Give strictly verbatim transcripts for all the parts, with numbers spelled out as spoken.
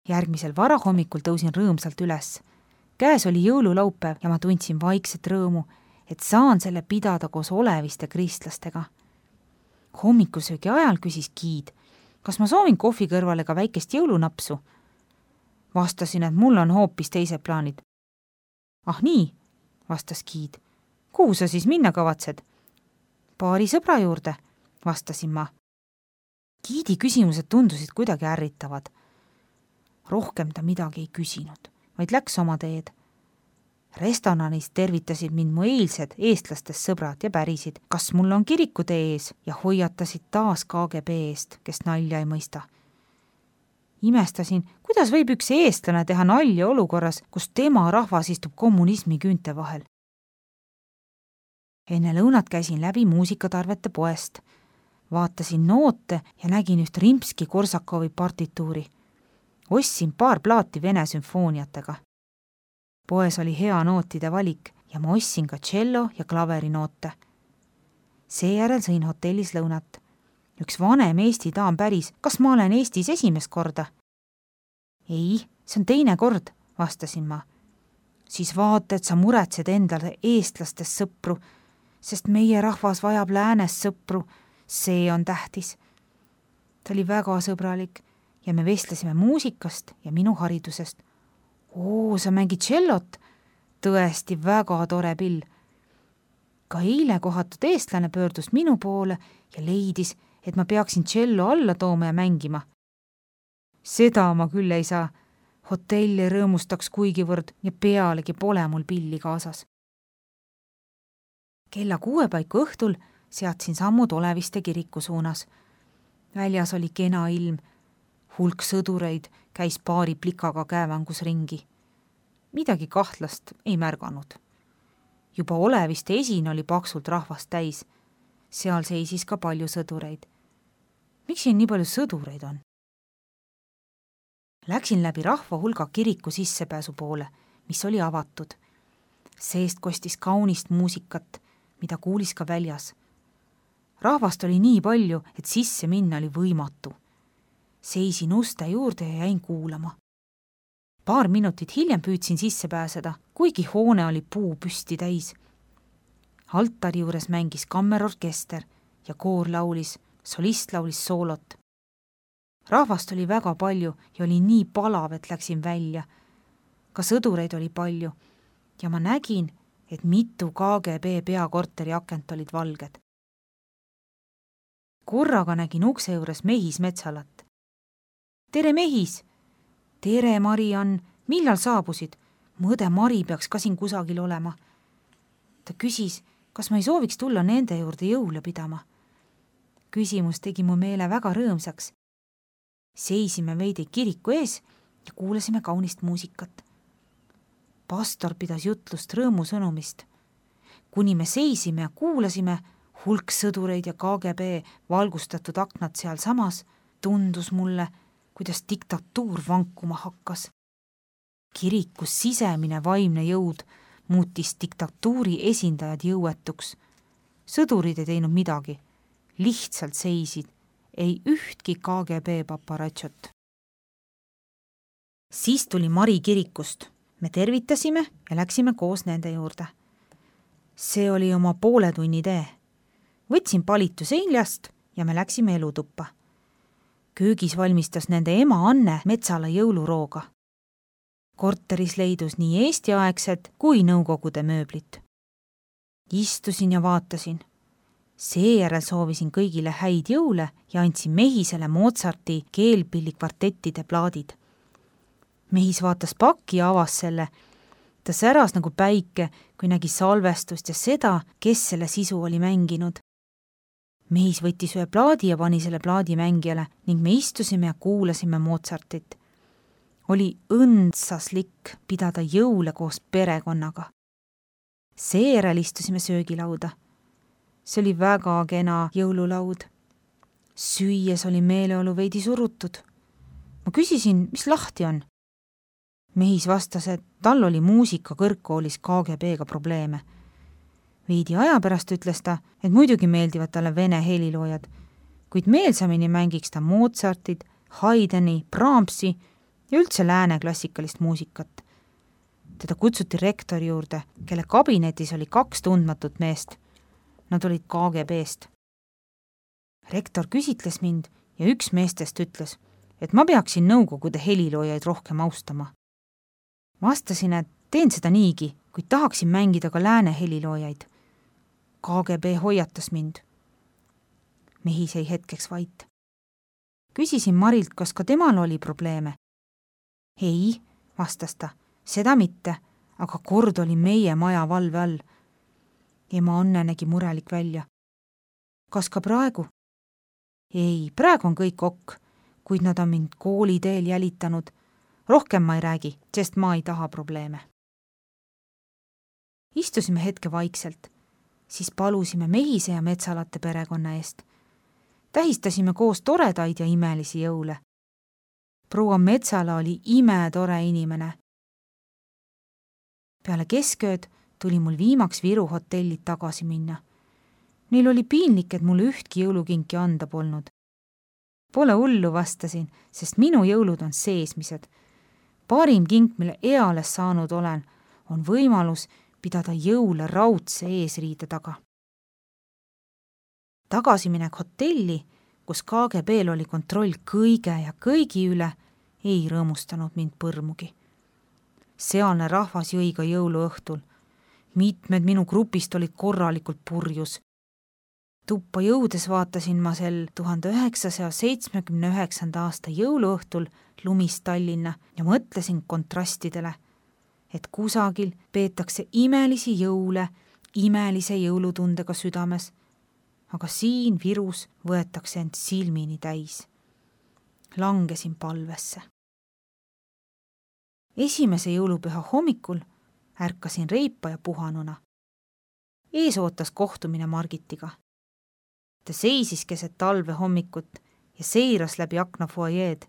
Järgmisel varahommikul tõusin rõõmsalt üles. Käes oli jõululaupäev ja ma tundsin vaikset rõõmu, et saan selle pidada koos oleviste kristlastega. Hommikusöögi ajal küsis Giid, kas ma soovin kohvi kõrvale ka väikest jõulunapsu. Vastasin, et mul on hoopis teised plaanid. Ah nii, vastas Giid. Kuhu sa siis minna kavatsed? Paari sõbra juurde, vastasin ma. Giidi küsimused tundusid kuidagi ärritavad. Rohkem ta midagi ei küsinud, vaid läks oma teed. Restoranis tervitasid mind mu eilsed eestlastest sõbrad ja pärisid, kas mul on kirikutee ees ja hoiatasid taas K G B eest, kes nalja ei mõista. Imestasin, kuidas võib üks eestlane teha nalja olukorras, kus tema rahvas istub kommunismi küünte vahel. Enne lõunat käisin läbi muusikatarvete poest. Vaatasin noote ja nägin üht Rimski-Korsakovi partituuri. Ostsin paar plaati vene sümfooniatega. Poes oli hea nootide valik ja ma ostsin ka tšello ja klaverinoote. Seejärel sõin hotellis lõunat. Üks vanem Eesti daam päris, kas ma olen Eestis esimest korda? Ei, see on teine kord, vastasin ma. Siis vaata, et sa muretsed endale eestlastest sõpru, sest meie rahvas vajab läänes sõpru, see on tähtis. Ta oli väga sõbralik ja me vestlesime muusikast ja minu haridusest. Oo, sa mängid tšellot? Tõesti väga tore pill. Ka eile kohatud eestlane pöördus minu poole ja leidis, et ma peaksin tšello alla tooma ja mängima. Seda ma küll ei saa. Hotelli rõõmustaks kuigivõrd ja pealegi pole mul pilli kaasas. Kella kuue paiku õhtul seadsin sammud Oleviste kiriku suunas. Väljas oli kena ilm. Hulk sõdureid käis paari plikaga käevangus ringi. Midagi kahtlast ei märganud. Juba Oleviste esin oli paksult rahvast täis. Seal seisis ka palju sõdureid. Miks siin nii palju sõdureid on? Läksin läbi rahva hulga kiriku sissepääsu poole, mis oli avatud. Seest kostis kaunist muusikat, mida kuulis ka väljas. Rahvast oli nii palju, et sisse minna oli võimatu. Seisin uste juurde ja jäin kuulama. Paar minutit hiljem püüdsin sisse pääseda, kuigi hoone oli puu püsti täis. Altari juures mängis kammerorkester ja koor laulis, solist laulis soolot. Rahvast oli väga palju ja oli nii palav, et läksin välja. Ka sõdureid oli palju ja ma nägin, et mitu K G B peakorteri akent olid valged. Korraga nägin ukse juures Mehis Metsalat. Tere Mehis! Tere Mariann, millal saabusid? Mõõde Mari peaks ka siin kusagil olema. Ta küsis, kas ma ei sooviks tulla nende juurde jõule pidama. Küsimus tegi mu meele väga rõõmsaks. Seisime veidi kiriku ees ja kuulasime kaunist muusikat. Pastor pidas jutlust rõõmusõnumist. Kuni me seisime ja kuulasime, hulk sõdureid ja K G B valgustatud aknad seal samas, tundus mulle, kuidas diktatuur vankuma hakkas. Kirikus sisemine vaimne jõud muutis diktatuuri esindajad jõuetuks. Sõdurid ei teinud midagi, lihtsalt seisid, ei ühtki K G B paparatšot. Siis tuli Mari kirikust. Me tervitasime ja läksime koos nende juurde. See oli oma poole tunni tee. Võtsin palitu seljast ja me läksime elutuppa. Köögis valmistas nende ema Anne Metsala jõulurooga. Korteris leidus nii eestiaegsed kui nõukogude mööblit. Istusin ja vaatasin. Seejärel soovisin kõigile häid jõule ja andsin Mehisele Mozarti keelpillikvartettide plaadid. Mehis vaatas pakki ja avas selle. Ta säras nagu päike, kui nägi salvestust ja seda, kes selle sisu oli mänginud. Mehis võttis ühe plaadi ja pani selle plaadi mängijale ning me istusime ja kuulasime Mozartit. Oli õndsaslik pidada jõule koos perekonnaga. Seejärel istusime söögilauda. See oli väga kena jõululaud. Süües oli meeleolu veidi surutud. Ma küsisin, mis lahti on. Mehis vastas, et tal oli muusika kõrgkoolis K G B-ga probleeme. Veidi aja pärast ütles ta, et muidugi meeldivad talle vene heliloojad, kuid meelsamini mängiks ta Mozartit, Haydni, Brahmsi ja üldse lääne klassikalist muusikat. Teda kutsuti rektori juurde, kelle kabinetis oli kaks tundmatut meest. Nad olid K G B-st. Rektor küsitles mind ja üks meestest ütles, et ma peaksin nõukogude heliloojaid rohkem austama. Vastasin, et teen seda niigi, kuid tahaksin mängida ka lääne heliloojaid. K G B hoiatas mind. Mehi sai hetkeks vait. Küsisin Marilt, kas ka temal oli probleeme. Ei, vastas ta, seda mitte, aga kord oli meie maja valve all. Ema Anne nägi murelik välja. Kas ka praegu? Ei, praegu on kõik ok, kuid nad on mind kooli teel jälitanud. Rohkem ma ei räägi, sest ma ei taha probleeme. Istusime hetke vaikselt, siis palusime Mehise ja Metsalate perekonna eest. Tähistasime koos toredaid ja imelisi jõule. Proua Metsala oli imetore inimene. Peale keskööd tuli mul viimaks Viru hotellid tagasi minna. Neil oli piinlik, et mulle ühtki jõulukinki anda polnud. Pole hullu, vastasin, sest minu jõulud on seesmised. Parim kink, mille eales saanud olen, on võimalus pidada jõule raudse eesriide taga. Tagasiminek hotelli, kus K G B-l oli kontroll kõige ja kõigi üle, ei rõõmustanud mind põrmugi. Sealne rahvas jõi ka jõuluõhtul. Mitmed minu grupist olid korralikult purjus. Tuppa jõudes vaatasin ma sel tuhande üheksasaja seitsmekümne üheksanda aasta jõuluõhtul lumist Tallinna ja mõtlesin kontrastidele, et kusagil peetakse imelisi jõule imelise jõulutundega südames, aga siin Virus võetakse end silmini täis. Langesin palvesse. Esimese jõulupüha hommikul ärkasin reipa ja puhanuna. Ees ootas kohtumine Margitiga. Ta seisis keset talve hommikut ja seiras läbi akna fuajeed.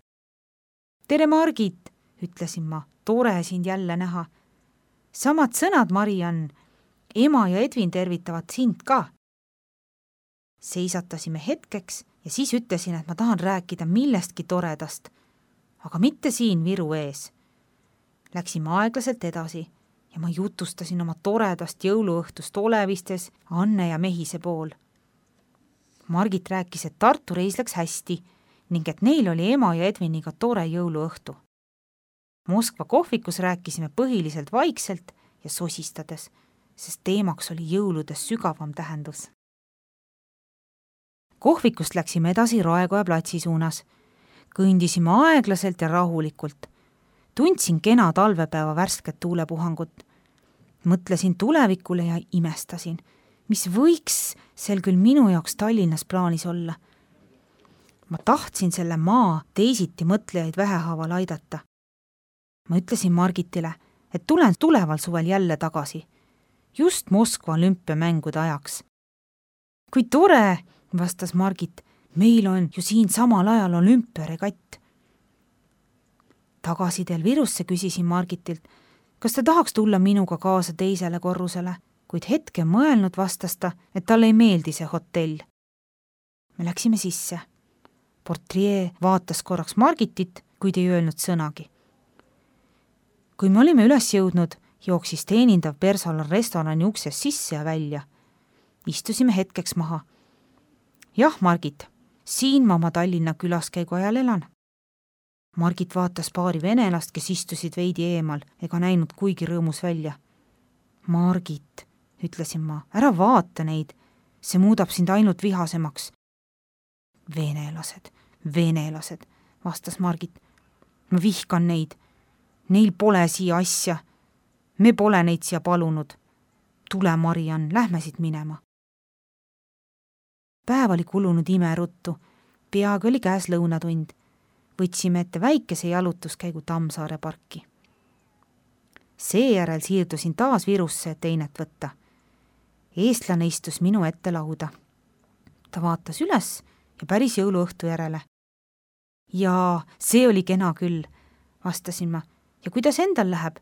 Tere, Margit, ütlesin ma, tore sind jälle näha. Samad sõnad, Mariann, ema ja Edvin tervitavad sind ka. Seisatasime hetkeks ja siis ütlesin, et ma tahan rääkida millestki toredast, aga mitte siin Viru ees. Läksime aeglaselt edasi ja ma jutustasin oma toredast jõuluõhtust Olevistes Anne ja Mehise pool. Margit rääkis, et Tartu reis läks hästi ning et neil oli ema ja Edviniga tore jõuluõhtu. Moskva kohvikus rääkisime põhiliselt vaikselt ja sosistades, sest teemaks oli jõuludes sügavam tähendus. Kohvikust läksime edasi Raekoja platsi suunas. Kõndisime aeglaselt ja rahulikult. Tundsin kena talvepäeva värsket tuulepuhangut. Mõtlesin tulevikule ja imestasin, mis võiks sel küll minu jaoks Tallinnas plaanis olla. Ma tahtsin selle maa teisiti mõtlejaid vähehaaval aidata. Ma ütlesin Margitile, et tulen tuleval suvel jälle tagasi, just Moskva olümpiamängude ajaks. Kui tore, vastas Margit, meil on ju siin samal ajal olümpiaregatt. Tagasidel Virusse küsisin Margitilt, kas ta tahaks tulla minuga kaasa teisele korrusele, kuid hetke mõelnud vastas ta, et talle ei meeldi see hotell. Me läksime sisse. Portrie vaatas korraks Margitit, kuid ei öelnud sõnagi. Kui me olime üles jõudnud, jooksis teenindav personal restorani ukses sisse ja välja. Istusime hetkeks maha. Jah, Margit, siin ma oma Tallinna külaskäigu ajal elan. Margit vaatas paari venelast, kes istusid veidi eemal ega näinud kuigi rõõmus välja. Margit, ütlesin ma, ära vaata neid, see muudab sind ainult vihasemaks. Venelased, venelased, vastas Margit. Ma vihkan neid. Neil pole siia asja. Me pole neid siia palunud. Tule, Mariann, lähme siit minema. Päev oli kulunud imeruttu. Peaaegu oli käes lõunatund. Võtsime ette väikese jalutuskäigu Tammsaare parki. Seejärel siirdusin taas Virusse teinet võtta. Eestlane istus minu ette lauda. Ta vaatas üles ja päris jõuluõhtu järele. Jaa, see oli kena küll, vastasin ma. Ja kuidas endal läheb?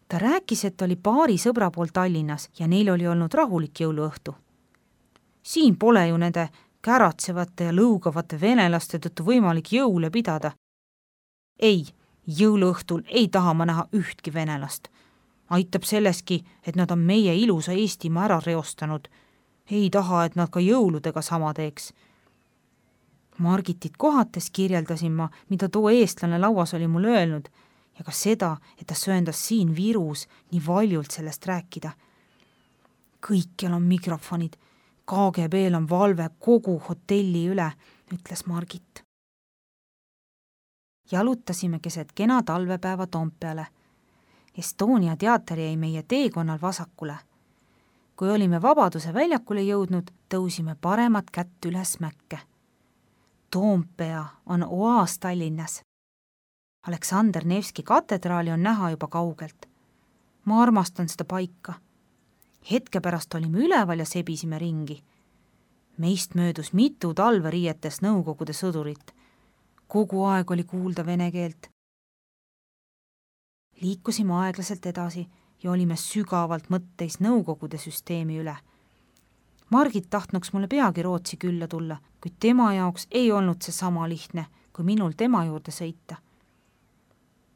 Ta rääkis, et oli paari sõbra pool Tallinnas ja neil oli olnud rahulik jõuluõhtu. Siin pole ju nende käratsevate ja lõugavate venelaste tõttu võimalik jõule pidada. ei, jõuluõhtul ei taha ma näha ühtki venelast. Aitab selleski, et nad on meie ilusa Eestimaa ära reostanud. Ei taha, et nad ka jõuludega sama teeks. Margitit kohates kirjeldasin ma, mida too eestlane lauas oli mul öelnud ja ka seda, et ta sööndas siin Virus nii valjult sellest rääkida. Kõikjal on mikrofonid, K G B-l on valve kogu hotelli üle, ütles Margit. Jalutasime keset kena talvepäeva Toompeale. Estonia teater jäi meie teekonnal vasakule. Kui olime Vabaduse väljakule jõudnud, tõusime paremat kätt üles mäkke. Toompea on oaas Tallinnas. Aleksander Nevski katedraali on näha juba kaugelt. Ma armastan seda paika. Hetke pärast olime üleval ja sebisime ringi. Meist möödus mitu talveriietes Nõukogude sõdurit. Kogu aeg oli kuulda vene keelt. Liikusime aeglaselt edasi ja olime sügavalt mõtteis Nõukogude süsteemi üle. Margit tahtnuks mulle peagi Rootsi külla tulla, kuid tema jaoks ei olnud see sama lihtne, kui minul tema juurde sõita.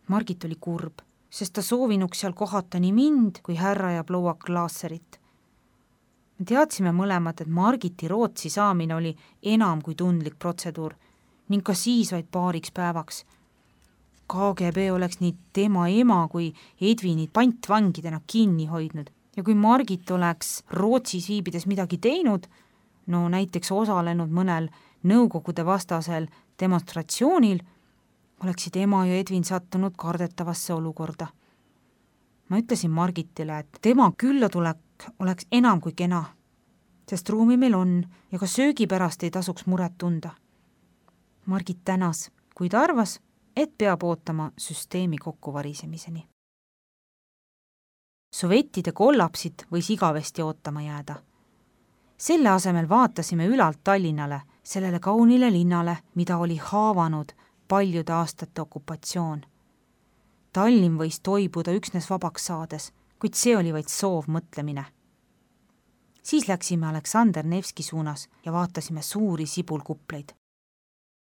Margit oli kurb, sest ta soovinuks seal kohata nii mind kui härra ja proua Klaaserit. Me teadsime mõlemad, et Margiti Rootsi saamine oli enam kui tundlik protseduur ning ka siis vaid paariks päevaks. K G B oleks nii tema ema kui Edvinit pantvangidena kinni hoidnud ja kui Margit oleks Rootsis viibides midagi teinud, no näiteks osalenud mõnel Nõukogude vastasel demonstratsioonil, oleksid ema ja Edvin sattunud kardetavasse olukorda. Ma ütlesin Margitile, et tema küllatulek oleks enam kui kena, sest ruumi meil on ja ka söögi pärast ei tasuks muret tunda. Margit tänas, kuid arvas, et peab ootama süsteemi kokkuvarisemiseni. Sovettide kollapsit võis igavesti ootama jääda. Selle asemel vaatasime ülalt Tallinnale, sellele kaunile linnale, mida oli haavanud paljude aastate okupatsioon. Tallinn võis toibuda üksnes vabaks saades, kuid see oli vaid soov mõtlemine. Siis läksime Aleksander Nevski suunas ja vaatasime suuri sibulkupleid.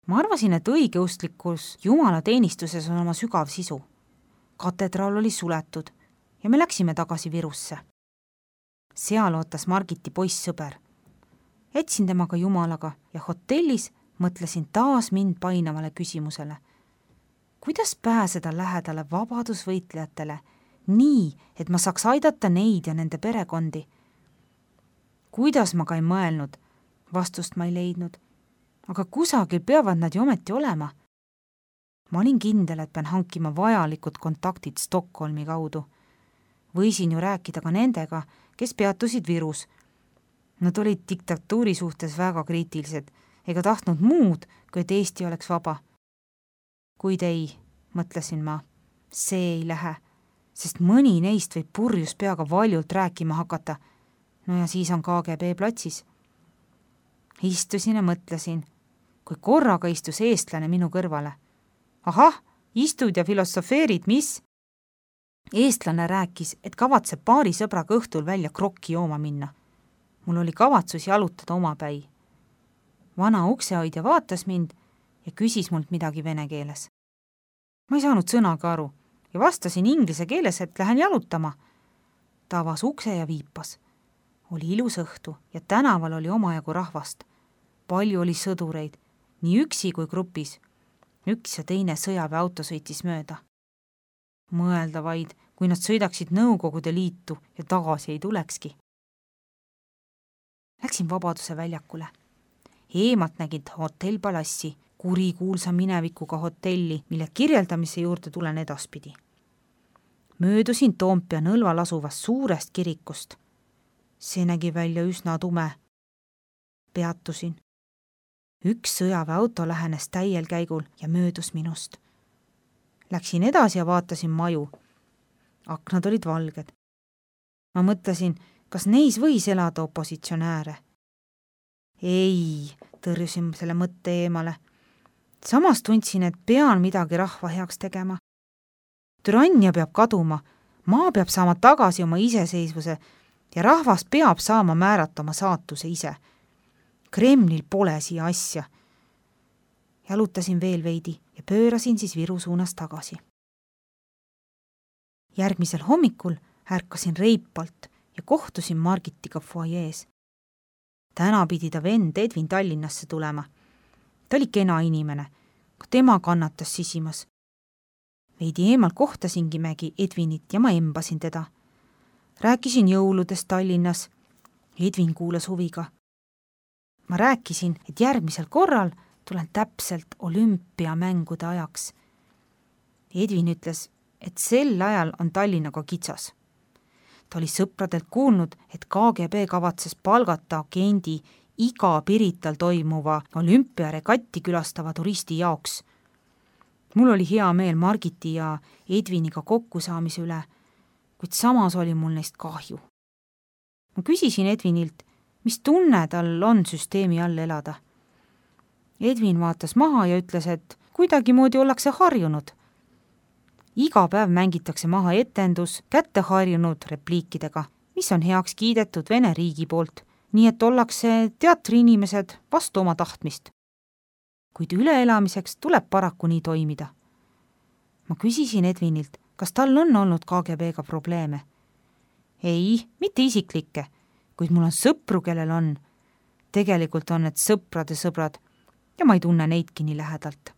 Ma arvasin, et õigeustlikus jumalateenistuses on oma sügav sisu. Katedraal oli suletud ja me läksime tagasi Virusse. Seal ootas Margiti poissõber. Etsin temaga jumalaga ja hotellis mõtlesin taas mind painavale küsimusele. Kuidas pääseda lähedale vabadusvõitlejatele nii, et ma saaks aidata neid ja nende perekondi? Kuidas ma ka ei mõelnud? Vastust ma ei leidnud. Aga kusagil peavad nad ju ometi olema. Ma olin kindel, et pean hankima vajalikud kontaktid Stockholmi kaudu. Võisin ju rääkida ka nendega, kes peatusid Virus. Nad olid diktatuuri suhtes väga kriitilised ega tahtnud muud, kui et Eesti oleks vaba. Kuid ei, mõtlesin ma, see ei lähe, sest mõni neist võib purjus peaga valjult rääkima hakata. No ja siis on K G B platsis. Istusin ja mõtlesin, kui korraga istus eestlane minu kõrvale. Ahah, istud ja filosofeerid, mis? Eestlane rääkis, et kavatseb paari sõbraga õhtul välja krokki jooma minna. Mul oli kavatsus jalutada omapäi. Vana uksehoidja vaatas mind ja küsis mult midagi vene keeles. Ma ei saanud sõnaga aru ja vastasin inglise keeles, et lähen jalutama. Ta avas ukse ja viipas. Oli ilus õhtu ja tänaval oli omajagu rahvast. Palju oli sõdureid, nii üksi kui grupis. Üks ja teine sõjaväeauto sõitis mööda. Mõelda vaid, kui nad sõidaksid Nõukogude Liitu ja tagasi ei tulekski. Läksin Vabaduse väljakule. Eemalt nägid hotell Palassi, kurikuulsa minevikuga hotelli, mille kirjeldamise juurde tulen edaspidi. Möödusin Toompea nõlval asuvast suurest kirikust. See nägi välja üsna tume. Peatusin. Üks sõjaväeauto lähenes täiel käigul ja möödus minust. Läksin edasi ja vaatasin maju. Aknad olid valged. Ma mõtlesin, kas neis võis elada opositsionääre. Ei, tõrjusin selle mõtte eemale. Samas tundsin, et pean midagi rahva heaks tegema. Türannia peab kaduma, maa peab saama tagasi oma iseseisvuse ja rahvas peab saama määrata oma saatuse ise. Kremlil pole siia asja. Jalutasin veel veidi ja pöörasin siis Viru suunas tagasi. Järgmisel hommikul ärkasin reipalt ja kohtusin Margitiga fuajees. Täna pidi ta vend Edvin Tallinnasse tulema. Ta oli kena inimene, kui tema kannatas sisimas. Veidi eemalt kohtasingimegi Edvinit ja ma embasin teda. Rääkisin jõuludest Tallinnas. Edvin kuulas huviga. Ma rääkisin, et järgmisel korral tulen täpselt olümpiamängude ajaks. Edvin ütles, et sel ajal on Tallinnaga kitsas. Ta oli sõpradelt kuulnud, et K G B kavatses palgata agendi iga Pirital toimuva olümpiaregatti külastava turisti jaoks. Mul oli hea meel Margiti ja Edviniga kokkusaamise üle, kuid samas oli mul neist kahju. Ma küsisin Edvinilt, mis tunne tal on süsteemi all elada. Edvin vaatas maha ja ütles, et kuidagi moodi ollakse harjunud. Iga päev mängitakse maha etendus kätte harjunud repliikidega, mis on heaks kiidetud Vene riigi poolt, nii et ollakse teatriinimesed vastu oma tahtmist. Kuid üleelamiseks tuleb paraku nii toimida. Ma küsisin Edvinilt, kas tal on olnud K G B-ga probleeme. Ei, mitte isiklikke, kuid mul on sõpru, kellel on. Tegelikult on need sõprade sõbrad ja ma ei tunne neidki nii lähedalt.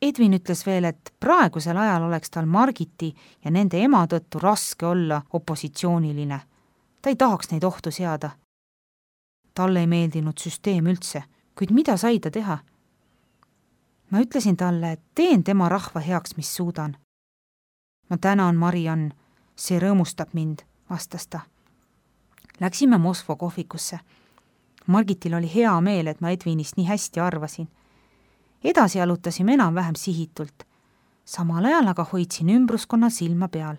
Edvin ütles veel, et praegusel ajal oleks tal Margiti ja nende ema tõttu raske olla opositsiooniline. Ta ei tahaks neid ohtu seada. Talle ei meeldinud süsteem üldse, kuid mida sai ta teha? Ma ütlesin talle, et teen tema rahva heaks, mis suudan. Ma tänan, Mariann, see rõõmustab mind, vastas ta. Läksime Moskva kohvikusse. Margitil oli hea meel, et ma Edvinist nii hästi arvasin. Edasi jalutasime enam-vähem sihitult. Samal ajal aga hoidsin ümbruskonna silma peal.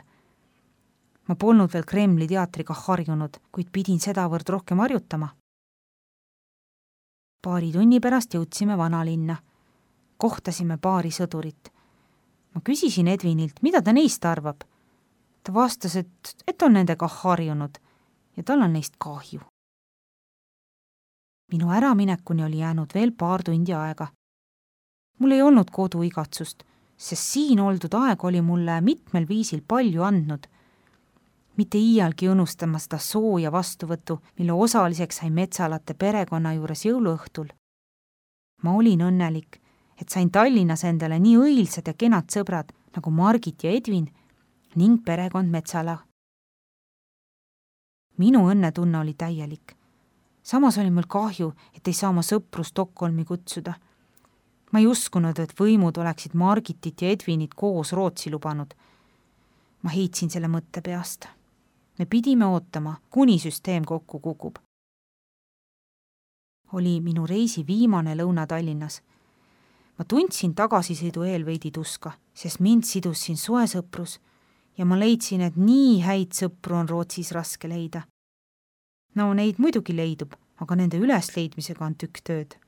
Ma polnud veel Kremli teatriga harjunud, kuid pidin sedavõrd rohkem harjutama. Paari tunni pärast jõudsime vanalinna. Kohtasime paari sõdurit. Ma küsisin Edvinilt, mida ta neist arvab. Ta vastas, et, et on nendega harjunud ja tal on neist kahju. Minu äraminekuni oli jäänud veel paar tundi aega. Mul ei olnud koduigatsust, sest siin oldud aeg oli mulle mitmel viisil palju andnud. Mitte iialgi õnnustama seda sooja vastuvõttu, mille osaliseks sai Metsalate perekonna juures jõuluõhtul. Ma olin õnnelik, et sain Tallinnas endale nii õilsad ja kenad sõbrad nagu Margit ja Edvin ning perekond Metsala. Minu õnnetunne oli täielik. Samas oli mul kahju, et ei saa oma sõpru Stockholmi kutsuda. Ma ei uskunud, et võimud oleksid Margitit ja Edvinit koos Rootsi lubanud. Ma heitsin selle mõtte peast. Me pidime ootama, kuni süsteem kokku kukub. Oli minu reisi viimane lõuna Tallinnas. Ma tundsin tagasisõidu eel veidi tuska, sest mind sidus siin soe sõprus ja ma leidsin, et nii häid sõpru on Rootsis raske leida. No neid muidugi leidub, aga nende ülesleidmisega on tükk tööd.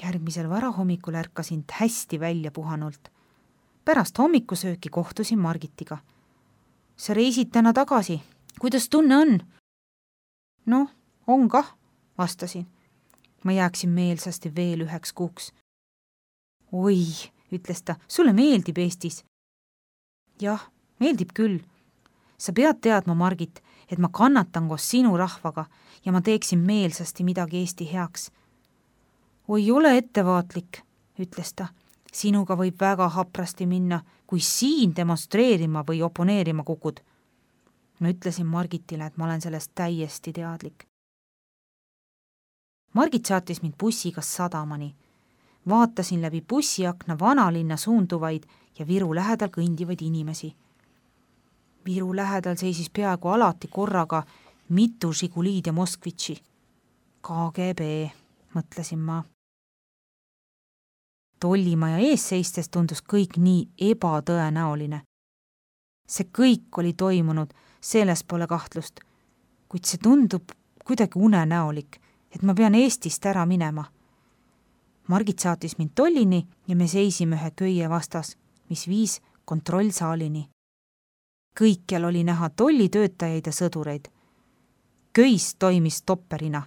Järgmisel varahommikul ärkasin hästi välja puhanult. Pärast hommikusööki kohtusin Margitiga. Sa reisid täna tagasi. Kuidas tunne on? Noh, on kah, vastasin. Ma jääksin meelsasti veel üheks kuuks. Oi, ütles ta, sulle meeldib Eestis. Jah, meeldib küll. Sa pead teadma, Margit, et ma kannatan koos sinu rahvaga ja ma teeksin meelsasti midagi Eesti heaks. Oi, ole ettevaatlik, ütles ta. Sinuga võib väga haprasti minna, kui siin demonstreerima või oponeerima kukud. Ma ütlesin Margitile, et ma olen sellest täiesti teadlik. Margit saatis mind bussiga sadamani. Vaatasin läbi bussiakna vanalinna suunduvaid ja Viru lähedal kõndivaid inimesi. Viru lähedal seisis peaaegu alati korraga mitu Žiguliid ja Moskvitši. K G B, mõtlesin ma. Tollimaja ees seistes tundus kõik nii ebatõenäoline. See kõik oli toimunud, selles pole kahtlust, kuid see tundub kuidagi unenäolik, et ma pean Eestist ära minema. Margit saatis mind tollini ja me seisime ühe köie vastas, mis viis kontrollsaalini. Kõikjal oli näha tollitöötajaid ja sõdureid. Köis toimis topperina.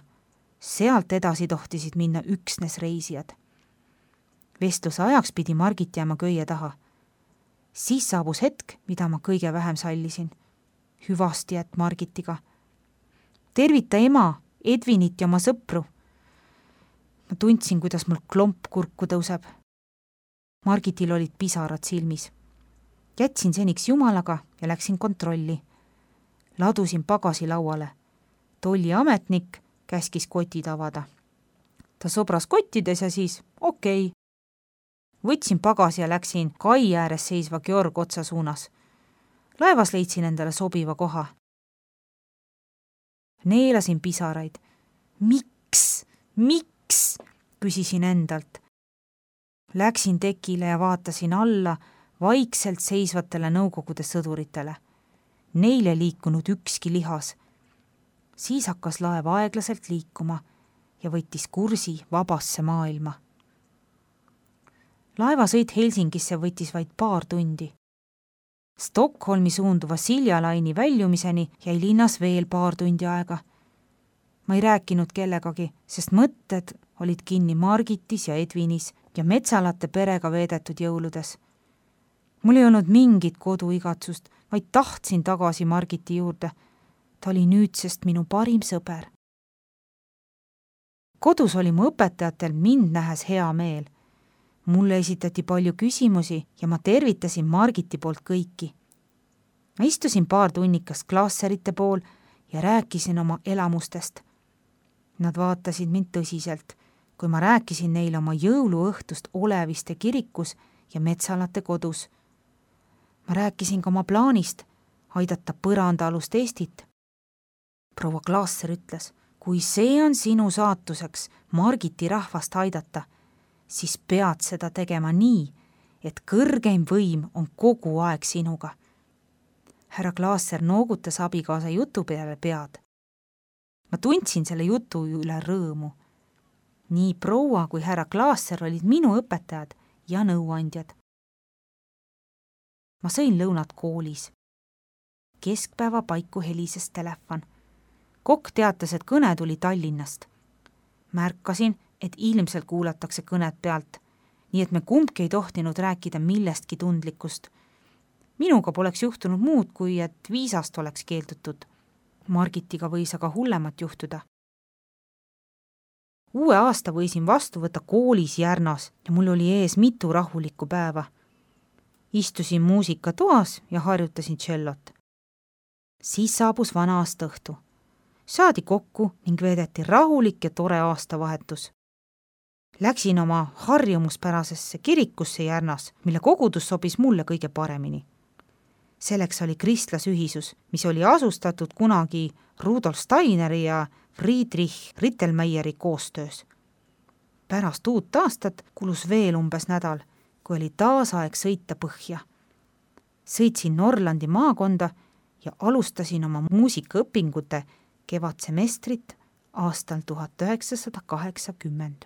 Sealt edasi tohtisid minna üksnes reisijad. Vestluse ajaks pidi Margit jääma köie taha. Siis saabus hetk, mida ma kõige vähem sallisin. Hüvasti jät Margitiga. Tervita ema, Edvinit ja oma sõpru. Ma tundsin, kuidas mul klomp kurku tõuseb. Margitil olid pisarad silmis. Jätsin seniks jumalaga ja läksin kontrolli. Ladusin pagasi lauale. Tolliametnik käskis kotid avada. Ta sobras kottides ja siis okei. Okay. Võtsin pagasi ja läksin kai ääres seisva Georg otsa suunas. Laevas leidsin endale sobiva koha. Neelasin pisaraid. Miks? Miks? Küsisin endalt. Läksin tekile ja vaatasin alla vaikselt seisvatele nõukogude sõduritele. Neile liikunud ükski lihas. Siis hakkas laev aeglaselt liikuma ja võttis kursi vabasse maailma. Laevasõit Helsingisse võttis vaid paar tundi. Stockholmi suunduva Silja laini väljumiseni jäi linnas veel paar tundi aega. Ma ei rääkinud kellegagi, sest mõtted olid kinni Margitis ja Edvinis ja Metsalate perega veedetud jõuludes. Mul ei olnud mingit koduigatsust, vaid tahtsin tagasi Margiti juurde. Ta oli nüüdsest minu parim sõber. Kodus oli mu õpetajatel mind nähes hea meel. Mulle esitati palju küsimusi ja ma tervitasin Margiti poolt kõiki. Ma istusin paar tunnikast klaasserite pool ja rääkisin oma elamustest. Nad vaatasid mind tõsiselt, kui ma rääkisin neile oma jõuluõhtust Oleviste kirikus ja Metsalate kodus. Ma rääkisin ka oma plaanist aidata põrandaalust Eestit. Proua Klaasser ütles, kui see on sinu saatuseks Margiti rahvast aidata, siis pead seda tegema nii, et kõrgeim võim on kogu aeg sinuga. Härra Klaasser noogutas abikaasa jutu peale pead. Ma tundsin selle jutu üle rõõmu. Nii proua kui härra Klaasser olid minu õpetajad ja nõuandjad. Ma sõin lõunat koolis. Keskpäeva paiku helises telefon. Kokk teatas, et kõne tuli Tallinnast. Märkasin, et ilmselt kuulatakse kõnet pealt, nii et me kumbki ei tohtinud rääkida millestki tundlikust. Minuga poleks juhtunud muud, kui et viisast oleks keeldutud. Margitiga võis aga hullemat juhtuda. Uue aasta võisin vastu võtta koolis Järnas ja mul oli ees mitu rahulikku päeva. Istusin muusikatoas ja harjutasin tšellot. Siis saabus vana aasta õhtu. Saadi kokku ning veedeti rahulik ja tore aastavahetus. Läksin oma harjumuspärasesse kirikusse Järnas, mille kogudus sobis mulle kõige paremini. Selleks oli kristlasühisus, mis oli asustatud kunagi Rudolf Steineri ja Friedrich Rittelmeieri koostöös. Pärast uut aastat kulus veel umbes nädal, kui oli taas aeg sõita põhja. Sõitsin Norlandi maakonda ja alustasin oma muusikaõpingute kevadsemestrit aastal tuhat üheksasada kaheksakümmend.